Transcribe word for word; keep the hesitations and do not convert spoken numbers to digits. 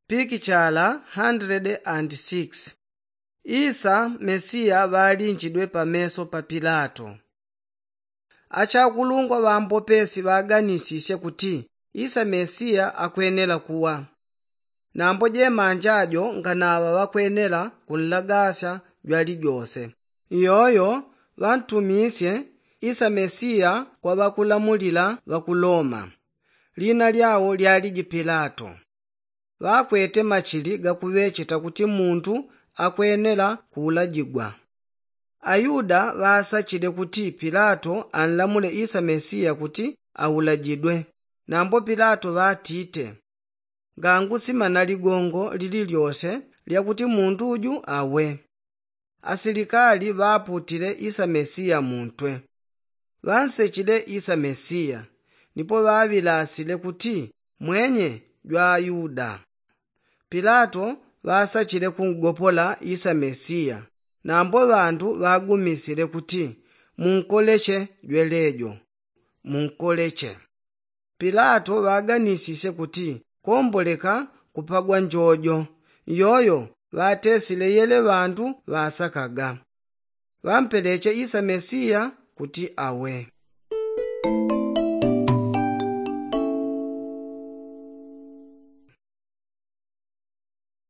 Pikichala hundred and six. Isa mesiya ŵalinjidwe pameso pa pilato. Achakulungwa ŵambopesi ŵaganisisye kuti isa mesiya akwenela kuwa. Nambo jemanja jo nganaŵa ŵakwenela kunlagasya jwalijose. Iyoyo ŵantumisye isa mesiya kwa ŵakulamulila ŵa ku loma. Lina lyao lyaliji pilato. Ŵakwete machili gakuŵecheta kuti muntu akwenela kuulajigwa. Ayuda ŵasachile kuti pilato anlamule isa mesiya kuti aulajidwe. Nambo pilato ŵatite, ngangu simana ligongo lililyose lyakuti muntu uju awe. Asilikali ŵaputile isa mesiya muntwe. Ŵansechile isa mesiya, nipo ŵaŵilasile kuti mwenye jwa ayuda. Pilato ŵasachile kungopola isa mesiya. Nambo ŵandu ŵagumisile kuti munkoleche jwelejo. Munkoleche. Pilato ŵaganisisye kuti komboleka kupagwa njojo. Iyoyo ŵatesile yele ŵandu ŵasakaga. Ŵampeleche isa mesiya kuti awe.